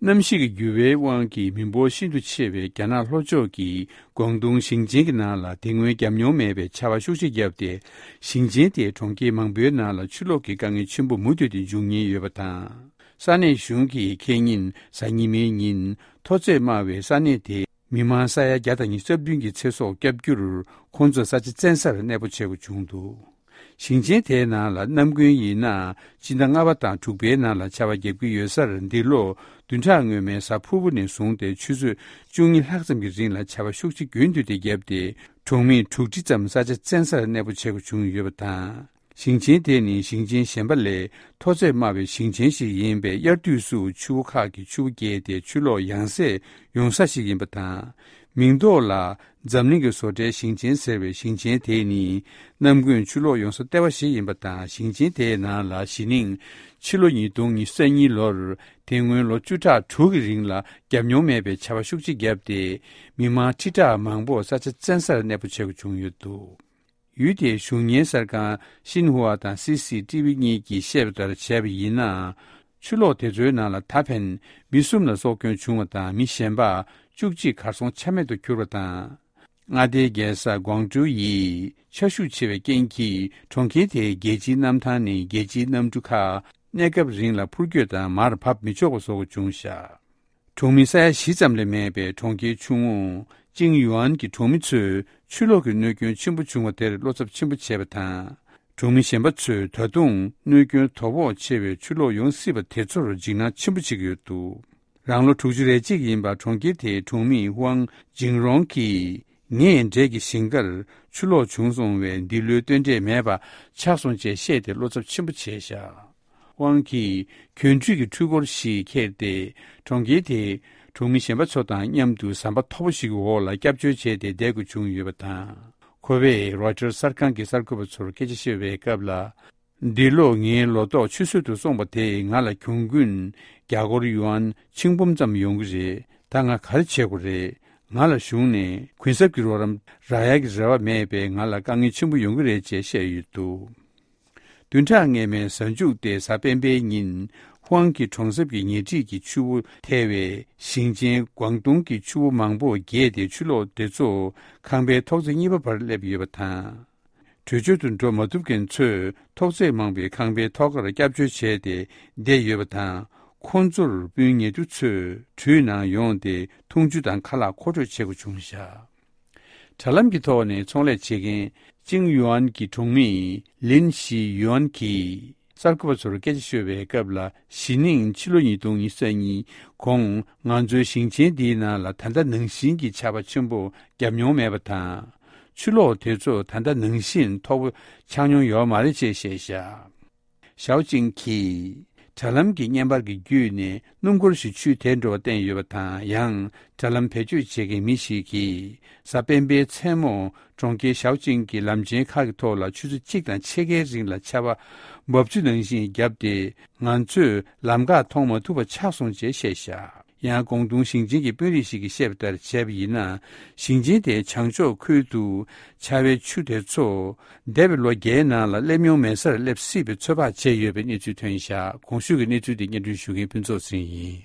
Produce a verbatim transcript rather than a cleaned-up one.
གནམ་གཤིས་ཀྱི་འགྱུར་བའི་དབང་གིས་མི་འབོར་ཤིན་ཏུ་ཆེ་བའི་རྒྱ་ནག་ལྷོ་ཕྱོགས་ཀྱི་ཀོང་ཏུང་ཞིང་ཆེན་གྱི་ནང་ལ་དེ་སྔོན་བརྒྱབ་མྱོང་མེད་པའི་ཆར་པ་ཤུགས་ཆེ་བརྒྱབ་སྟེ། ཞིང་ཆེན་དེའི་གྲོང་ཁྱེར་མང་པོའི་ནང་ལ་ཆུ་ལོག་གི་དཀའ་ངལ་ཆེན་པོ་མུ་མཐུད་དེ་འབྱུང་ཉེན་ཡོད་པ་དང་། ས་གནས་གཞུང་གིས་ཁེ་ཉིན་གཟའ་ཉི་མའི་ཉིན་མཐོ་ཚད་དམའ་བའི་ས་གནས་དེའི་མི་མང་ས་ཡ་བརྒྱ་དང་ཉི་ཤུ་རྩ་བདུན་གྱི་ཚེ་སྲོག་བསྐྱབ་རྒྱུར། ཁོང་ཚོ་ས་ཆ་བཙན་སར་གནས་སྤོ་བྱེད་དགོས་བྱུང་འདུག་ཞིང་ཆེན་དེའི་ནང་ལ་ནམ་རྒྱུན་ཡིན་ན་སྤྱི་ཟླ་ལྔ་པ་དང་དྲུག་པའི་ནང་ལ་ཆར་པ་བརྒྱབ་ཀྱི་ཡོད་སར། འདི་ལོ་བདུན་ཕྲག་སྔོན་མའི་གཟའ་ཕུར་བུ་ནས་བཟུང་སྟེ་ཆུ་ཚོད་བཅུ་གཉིས་ལྷག་ཙམ་གྱི་རིང་ལ་ཆར་པ་ཤུགས་ཆེ་རྒྱུན་མཐུད་དེ་བརྒྱབ་སྟེ། གྲོང་མི་དྲུག་ཁྲི་ཙམ་ས་ཆ་བཙན་སར་གནས་སྤོ་བྱེད་དགོས་བྱུང་ཡོད་པ་དང་། ཞིང་ཆེན་དེ་ནི་ཞིང་ཆེན་གཞན་པ་ལས་མཐོ་ཚད་དམའ་བའི་ཞིང་ཆེན་ཞིག་ཡིན་པས། དབྱར་དུས་སུ་ཆུ་བོ་ཁག་གི་ཆུ་བོ་རྒྱས་ཏེ་ཆུ་ལོག་ཡང་སེ་ཡོང་ས་ཞིག་ཡིན་པ་དང་། མིང་ཐོག་ལ་འཛམ་གླིང་གི་བཟོ་གྲྭའི་ཞིང་ཆེན་ཟེར་བའི་ཞིང་ཆེན་དེ་ནི་ནམ་རྒྱུན་ཆུ་ལོག་ཡོང་ས་ལྟེ་བ་ཞིག་ཡིན་པ་དང་། ཞིང་ཆེན་དེའི་ནང་ལ་གཞེས་ནིང་ཕྱི་ལོ་ཉིས་སྟོང་ཉི་ཤུ་རྩ་གཉིས་ལོར་དེ་སྔོན་ལོ་བཅུ་ཕྲག་དྲུག་གི་རིང་ལ་བརྒྱབ་མྱོང་མེད་པའི་ཆར་པ་ཤུགས་ཆེ་བརྒྱབ་སྟེ། མི་མང་ཁྲི་ཕྲག་མང་པོ་ས་ཆ་བཙན་སར་གནས་སྤོ་བྱེད་དགོས་བྱུང་ཡོད་འདུག་ཡུལ་དེའི་གཞུང་གཉེར་གསར་ཁང་ཤིན་ཧྭ་དང་སི་སི་ཊི་ཝི་གཉིས་ཀྱིས་བཤད་པ་ལྟར་བྱས་པ་ཡིན་ན། ཆུ་ལོག་དེ་ཚོའི་ནང་ལ་ད་ཕན་མི་གསུམ་ལ་སྲོག་སྐྱོན་བྱུང་བ་དང་། མི་གཞན་པ་བཅུ་གཅིག་གར་སོང་ཆ་མེད་དུ་གྱུར་བ་དང་། མངའ་སྡེའི་རྒྱལ་ས་ཀོང་ཀྲོའུ་ཡི་ཆར་ཤུགས་ཆེ་བའི་རྐྱེན་གྱིས་གྲོང་ཁྱེར་དེའི་རྒྱལ་སྤྱིའི་གནམ་ཐང་ནས་རྒྱལ་སྤྱིའི་གནམ་གྲུ་ཁག་གནས་སྐབས་རིང་ལ་འཕུར་སྐྱོད་དང་མར་བབས་མི་ཆོག་པ་བཟོ་དགོས་བྱུང་བཞག་གྲོང་མི་ས་ཡ་བཞི་ཙམ་ལས་མེད་པའི་གྲོང་ཁྱེར་ཆུང་ངུ་ཅིང་ཡུའན་གྱི་གྲོང་མི་ཚོས་ཆུ་ལོག་གི་གནོད་སྐྱོན་ཆེན་པོ་བྱུང་བ་དེར་བློ་འཚབ་ཆེན་པོ་བྱས་པ་དང་། གྲོང་མི་གཞན་པ་ཚོས་ད་དུང་གནོད་སྐྱོན་དོ་ཕོག་ཆེ་བའི་ཆུ་ལོག་ཡོང་སྲིད་པ་དེ་ཚོར་འཇིགས་སྣང་ཆེན་པོ་བྱེད་ཀྱི་ཡོད་འདུག་རང་ལོ་དྲུག་ཅུ་རེ་གཅིག་ཡིན་པ་གྲོང་ཁྱེར་དེའི་གྲོང་མི་ཝང་ཇིང་རོང་གིས། ངའི་འབྲས་ཀྱི་ཞིང་ཁར་ཆུ་ལོག་བྱུང་སོང་བས། འདི་ལོའི་སྟོན་འབྲས་མེད་པ་ཆགས་སོང་ཅེས་བཤད་དེ་བློ་འཚབ་ཆེན་པོ་བྱས་བཞག་ཝང་གིས་གྱོན་ཁྲུས་ཀྱི་འཕྲུལ་འཁོར་ཞིག་ཁྱེར་ཏེ། གྲོང་ཁྱེར་དེའི་གྲོང་མི་གཞན་པ་ཚོ་དང་མཉམ་དུ་ཟམ་པ་མཐོ་པོ་ཞིག་གི་འོག་ལ་སྐྱབས་བཅོལ་བྱས་ཏེ་བསྡད་དགོས་བྱུང་ཡོད་པ་དང་། ཁོ་བས་རོའི་ཊར་གསར་ཁང་གི་གསར་འགོད་པ་ཚོར་སྐད་ཆ་བཤད་པའི་སྐབས་ལ། འདི་ལོ་ངའི་ལོ་ཏོག་ཆུད་ཟོས་སུ་སོང་བ་དེས་ང་ལ་གྱོང་གུན་རྒྱ་སྒོར་ཡུའན་ཆིག་འབུམ་ཙམ་ཡོང་གི་རེད། ད་ང་ག་རེ་བྱེད་དགོས་རེད། ང་ལ་གཞུང་ནས་གུན་གསབ་ཀྱི་རོགས་རམ་རག་ཡག་གི་རེ་བ་མེད་པས། ང་ལ་དཀའ་ངལ་ཆེན་པོ་ཡོང་གི་རེད་ཅེས་བཤད་ཡོད་འདུག་བདུན་ཕྲག་སྔོན་མའི་གཟའ་མཇུག་སྟེ་གཟའ་སྤེན་པའི་ཉིན། ཧུའང་གི་གྲོང་གསེབ་ཀྱི་ཉེ་འཁྲིས་ཀྱི་ཆུ་བོ་ཐལ་བས། ཞིང་ཆེན་ཀོང་ཏུང་གི་ཆུ་བོ་མང་པོ་རྒྱས་ཏེ། ཆུ་ལོག་དེ་ཚོ་ཁང་པའི་ཐོག་བརྩེགས་གཉིས་པ་བར་སླེབས་ཡོད་པ་དང་། བྲོས་བྱོལ་དུ་འགྲོ་མ་ཐུབ་མཁན་ཚོས་ཐོག་བརྩེགས་མང་པོའི་ཁང་པའི་ཐོག་ཁར་སྐྱབས་བཅོལ་བྱས་ཏེ་བསྡད་ཡོད་པ་དང་། ཁོང་ཚོར་སྤུན་ཉེ་དུ་ཚོས་གྲུའི་ནང་ཡོང་སྟེ་འཐུང་ཆུ་དང་ཁ་ལག་མཁོ་སྤྲོད་བྱེད་དགོས་བྱུང་བཞག་དྲ་ལམ་གྱི་ཐོག་ནས་ཚོང་ལས་བྱེད་མཁན་ཅིང་ཡུའན་གྱི་གྲོང་མི་ལིན་ཞི་ཡུའན་གྱིས་གསར་འགོད་པ་ཚོར་སྐད་ཆ་ཤོད་པའི་སྐབས་ལ། གཞེས་ནིང་ཕྱི་ལོ་ཉིས་སྟོང་ཉི་ཤུ་རྩ་གཉིས་གོང་ང་ཚོའི་ཞིང་ཆེན་འདིའི་ནང་ལ་ད་ལྟ་ནང་བཞིན་གྱི་ཆར་པ་ཆེན་པོ་བརྒྱབ་མྱོང་མེད་པ་དང་། ཆུ་ལོག་དེ་ཚོ་ད་ལྟ་ནང་བཞིན་མཐོ་པོ་ཆགས་མྱོང་ཡོད་མ་རེད་ཅེས་བཤད་བཞག་ཞའོ་ཅིང་གིས་དྲ་ལམ་གྱི་བརྙན་པར་གྱི་བརྒྱུད་ནས་སྣུམ་འཁོར་ཞིག་ཆུས་དེད་འགྲོ་བ་བསྟན་ཡོད་པ་དང་། ཡང་དྲ་ལམ་བེད་སྤྱོད་བྱེད་མཁན་མི་ཞིག་གིས་གཟའ་སྤེན་པའི་མཚན་མོ་གྲོང་ཁྱེར་ཞའོ་ཅིང་གི་ལམ་ཆེན་ཁག་གི་ཐོག་ལ་ཆུ་ཚོད་གཅིག་དང་ཕྱེད་ཀའི་རིང་ལ་ཆར་པ་འབབ་ཆུ་ནང་བཞིན་བརྒྱབ་སྟེ། ང་ཚོས་ལམ་ཁ་མཐོང་མ་ཐུབ་པ་ཆགས་སོང་ཅེས་བཤད་བཞག་ཡང་ཀོང་ཏུང་ཞིང་ཆེན་གྱི་དཔོན་རིགས་ཤིག་གིས་བཤད་པ་ལྟར་བྱས་པ་ཡིན་ན། ཞིང་ཆེན་དེའི་བྱང་ཕྱོགས་ཁུལ་དུ་ཆར་པའི་ཆུ་དེ་ཚོ་འདས་པའི་ལོ་བརྒྱའི་ནང་ལ་སླེབས་མྱོང་མེད་སར་སླེབས་སྲིད་པའི་ཚོད་དཔག་བྱས་ཡོད་པའི་གནས་ཚུལ་ཐོན་བཞག་གོང་ཞུས་ཀྱི་གནས་ཚུལ་དེ་སྙན་སྒྲོན་ཞུ་མཁན་ཕུན་ཚོགས་ཟིན་ཡིན།